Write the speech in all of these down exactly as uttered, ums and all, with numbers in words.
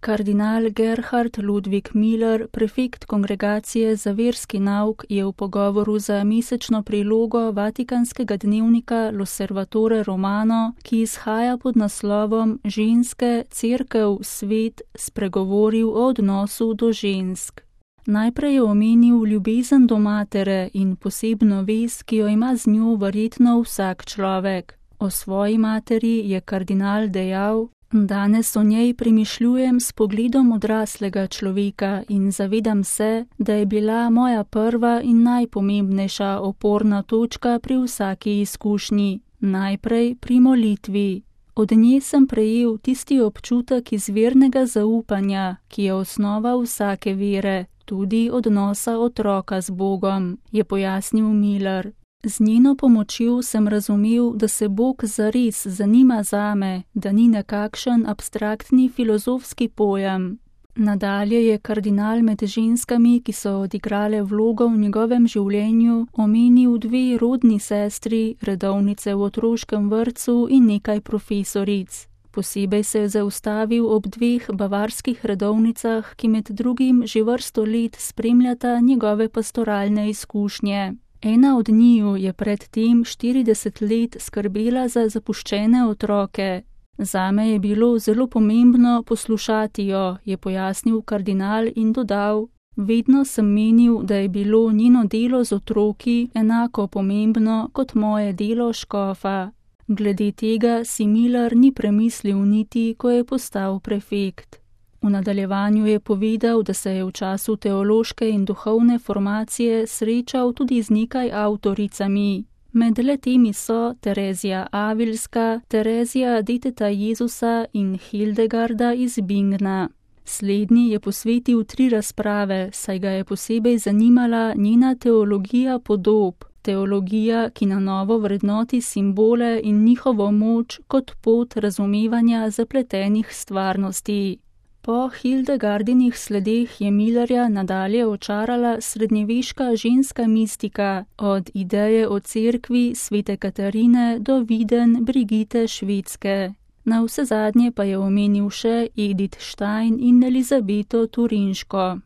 Kardinal Gerhard Ludwig Müller, prefekt Kongregacije za verski nauk, je v pogovoru za mesečno prilogo vatikanskega dnevnika L'Osservatore Romano, ki izhaja pod naslovom Ženske, cerkev, svet, spregovoril o odnosu do žensk. Najprej je omenil ljubezen do matere in posebno vez, ki jo ima z njo verjetno vsak človek. O svoji materi je kardinal dejal: Danes o njej premišljujem s pogledom odraslega človeka in zavedam se, da je bila moja prva in najpomembnejša oporna točka pri vsaki izkušnji, najprej pri molitvi. Od nje sem prejel tisti občutek izvirnega zaupanja, ki je osnova vsake vere, tudi odnosa otroka z Bogom, je pojasnil Müller. Z njeno pomočjo sem razumel, da se Bog zares zanima zame, da ni nekakšen abstraktni filozofski pojem. Nadalje je kardinal med ženskami, ki so odigrale vlogo v njegovem življenju, omenil dve rodni sestri, redovnice v otroškem vrtcu in nekaj profesoric. Posebej se je zaustavil ob dveh bavarskih redovnicah, ki med drugim že vrsto let spremljata njegove pastoralne izkušnje. Ena od njiju je pred tem štirideset let skrbela za zapuščene otroke. Zame je bilo zelo pomembno poslušati jo, je pojasnil kardinal in dodal: Vedno sem menil, da je bilo njeno delo z otroki enako pomembno kot moje delo škofa. Glede tega si Müller ni premislil niti, ko je postal prefekt. V nadaljevanju je povedal, da se je v času teološke in duhovne formacije srečal tudi z nekaj avtoricami. Med letemi so Terezija Avilska, Terezija deteta Jezusa in Hildegarda iz Bingna. Slednji je posvetil tri razprave, saj ga je posebej zanimala njena teologija podob, teologija, ki na novo vrednoti simbole in njihovo moč kot pot razumevanja zapletenih stvarnosti. Po Hildegardinih sledeh je Müllerja nadalje očarala srednjeveška ženska mistika, od ideje o cerkvi svete Katarine do viden Brigite Švedske. Navsezadnje pa je omenil še Edith Stein in Elizabeto Turinško.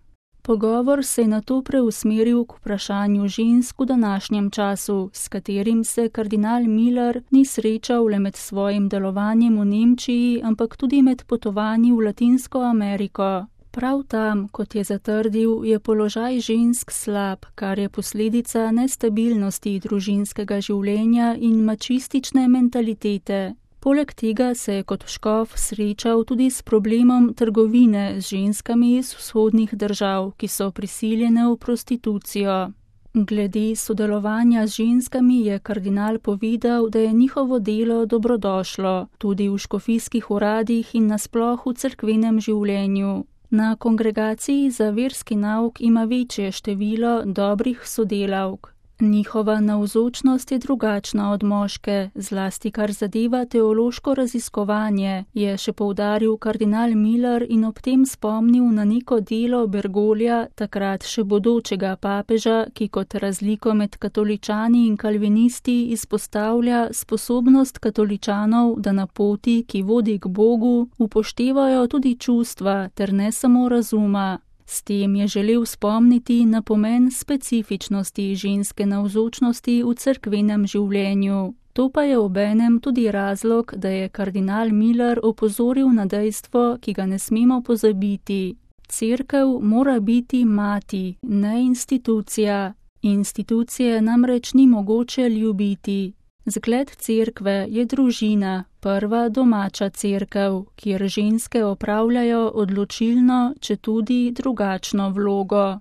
Pogovor se je nato preusmeril k vprašanju žensk v današnjem času, s katerim se kardinal Müller ni srečal le med svojim delovanjem v Nemčiji, ampak tudi med potovanji v Latinsko Ameriko. Prav tam, kot je zatrdil, je položaj žensk slab, kar je posledica nestabilnosti družinskega življenja in mačistične mentalitete. Poleg tega se je kot škof srečal tudi s problemom trgovine z ženskami iz vzhodnih držav, ki so prisiljene v prostitucijo. Glede sodelovanja z ženskami je kardinal povedal, da je njihovo delo dobrodošlo, tudi v škofijskih uradih in nasploh v cerkvenem življenju. Na kongregaciji za verski nauk ima večje število dobrih sodelavk. Njihova navzočnost je drugačna od moške, zlasti kar zadeva teološko raziskovanje, je še poudaril kardinal Müller in ob tem spomnil na neko delo Bergoglia, takrat še bodočega papeža, ki kot razliko med katoličani in kalvinisti izpostavlja sposobnost katoličanov, da na poti, ki vodi k Bogu, upoštevajo tudi čustva ter ne samo razuma. S tem je želel spomniti na pomen specifičnosti ženske navzočnosti v cerkvenem življenju. To pa je obenem tudi razlog, da je kardinal Müller opozoril na dejstvo, ki ga ne smemo pozabiti. Cerkev mora biti mati, ne institucija. Institucije namreč ni mogoče ljubiti. Zgled cerkve je družina, prva domača cerkev, kjer ženske opravljajo odločilno, četudi drugačno vlogo.